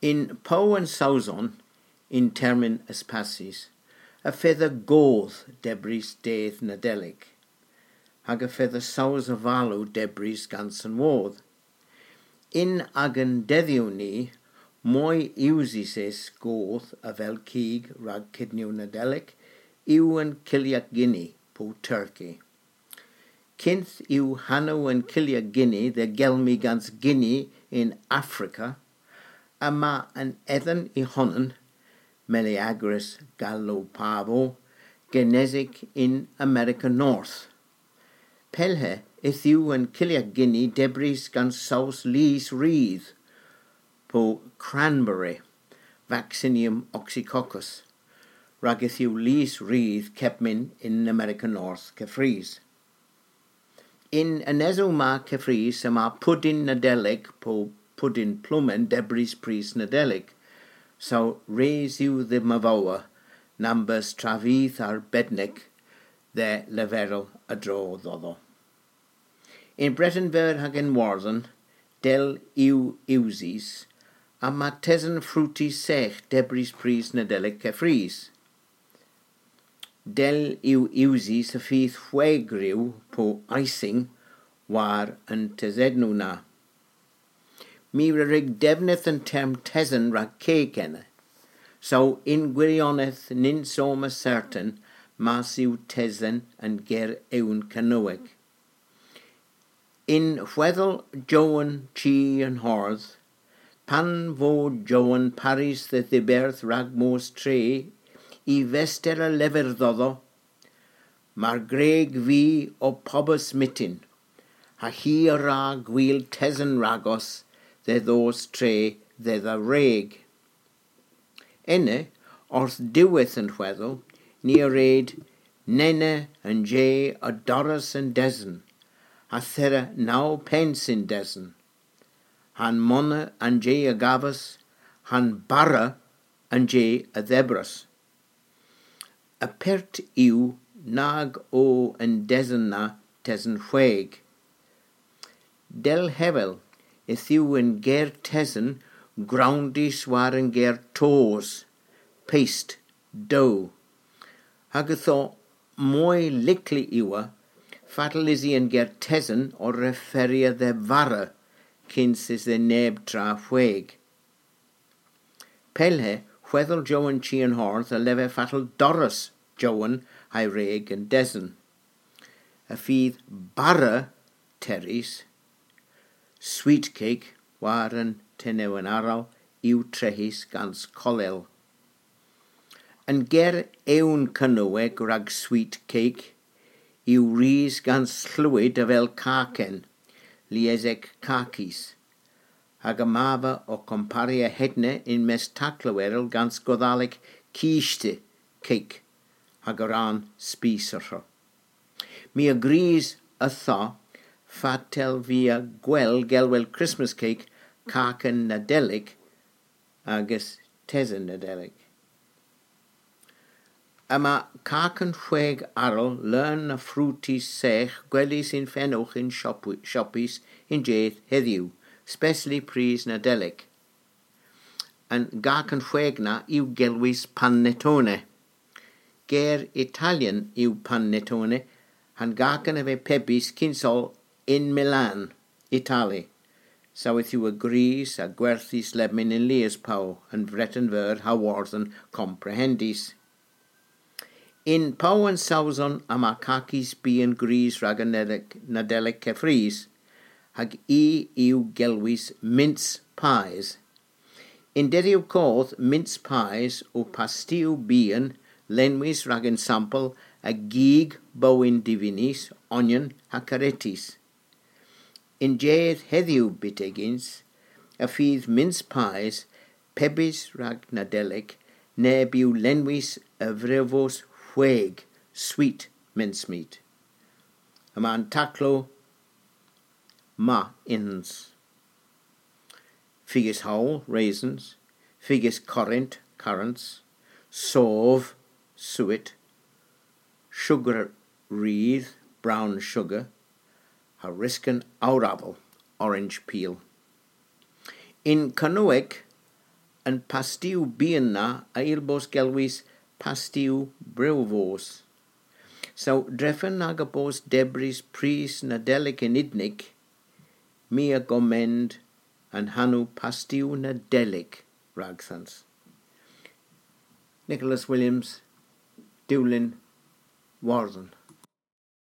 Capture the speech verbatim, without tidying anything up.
Yn Pow an Sowson, yn termyn eus passys, y fedha goth debrys dydh Nadelik, hag y fedha sows avalow debrys gans an woth. Yn agan dedhyow ni, moy usys eus goth avel kig rag kydniow Nadelik yw an kilyak ginni po turkey. Kynth yw hanow an kilyak ginni dhe gelmi gans ginni yn Afrika, yma an edhen y honan, Meleagris gallopavo, genesik yn Amerika North. Pellhe yth yw an kilyak ginni debrys gans sows lys rudh, po cranberry, Vaccinium oxycoccus, rag yth yw lys rudh kepmyn yn Amerika North keffrys. Yn anesow ma keffrys yma pudyn Nadelik po pudyn plomen debrys prys Nadelik, saw res yw dhe Mavowa, nambos travyth arbednek dhe leverel a-dro dhodho. Yn Breten Veur hag yn Wordhen, del yw usys, yma tesen frutys sekh debrys prys Nadelik keffrys. Del yw usys y fydh hwegrew po icing war an tesennow na. My a wrug devnydh an term tesen rag kig ena. Saw yn gwirionedh nyns oma sertan mars yw tesen an ger ewn Kernewek. Yn hwedhel Jowan Chi an Hordh, pan vo Jowan parys dhe dhiberth rag mos tre, y vester a lever dhodho, mar gwreg vy o pobas myttin, ha hi a wra gwil tesen ragos dhe dhos tre dhedha wreg. Ena, orth diwedh an hwedhel, ni a red, nena an je a dorras an desen, ha thera naw pens yn desen, ha'n mona an je a gavas, ha'n bara an je a dhebras. Apert yw nag o an desen na tesen hweg. Dell hevel, yth yw an ger tesen growndys war an ger tos, paste, dough. Hag ytho moy likli yw, fatel usi an ger tesen ow referya dhe vara, kyns usi neb tra hweg. Pellhe, hwedhel Jowan Chi an Hordh a lever fatel dorras Jowan ha'y wreg an desen. Y fydh bara terrys, sweet cake war an tenewen arall yw trehys gans kollel. An ger ewn Kernewek rag sweet cake yw ris gans slewyd avel kaken, liesek kakis, hag yma vy ow komparya hedna yn-mes taklow erel gans Godhalek kiste, cake, hag a rann spis arall. My a grys ytho fatel via gwell gelwel Christmas cake kaken Nadelik ages tesen Nadelik. Yma kaken hweg arall leun a frutys sekh gwelys yn fenowgh yn shop-, shoppys y'n jydh hedhyw, spesli prys Nadelik. An kaken hweg na yw gelwys panettone. Ger Italyan yw panettone, ha'n kaken a veu pebys kyns oll yn Milan, Itali. Saw yth yw a grys a gwerthys lebmyn yn lies pow, yn Breten Veur ha Wordhen komprehendys. Yn Pow an Sowson yma kakis bian gwrys rag an Nadelik, Nadelik keffrys, hag i yw gelwys mince pies. Yn dedhyow koth mince pies o pastiow bian lenwys rag ensampel a gig bowyn divinys, onyon ha karetys. Yn jydh hedhyw byttegyns, y fydh mince pies pebys rag Nadelik neb yw lenwys a vrevos hweg, sweet mincemeat. Yma an taklow ma yns. Figys howl, raisins, figys korrynt, currants, sov, suet, sugra rudh, brown sugar, ha risken awraval, orange peel. Yn Kernewek an pastiw bian na a yll bos gelwys pastiw brewvos. So, drefen aga bos debrys prys Nadelik yn Udnik, my a gommend an hanow pastiw Nadelik ragdhans. Nicholas Williams, Dulyn, Wardhen.